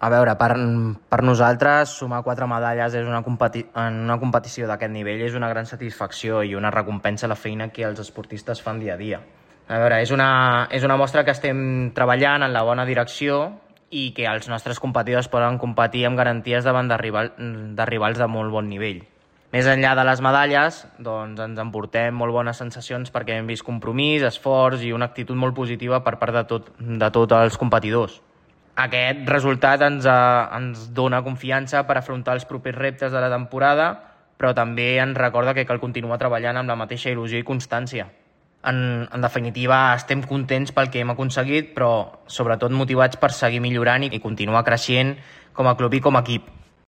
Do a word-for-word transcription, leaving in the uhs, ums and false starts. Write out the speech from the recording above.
A veure, per, per nosaltres sumar quatre medalles és una competi en una competició d'aquest nivell és una gran satisfacció i una recompensa a la feina que els esportistes fan dia a dia. A veure, és una, és una mostra que estem treballant en la bona direcció i que els nostres competidors poden competir amb garanties davant de, rival, de rivals de molt bon nivell. Més enllà de les medalles, doncs ens emportem molt bones sensacions perquè hem vist compromís, esforç i una actitud molt positiva per part de, tot, de tots els competidors. Aquest resultat ens, eh, ens dona confiança per afrontar els propers reptes de la temporada, però també ens recorda que cal continuar treballant amb la mateixa il·lusió i constància. En, en definitiva, estem contents pel que hem aconseguit, però sobretot motivats per seguir millorant i continuar creixent com a club i com a equip.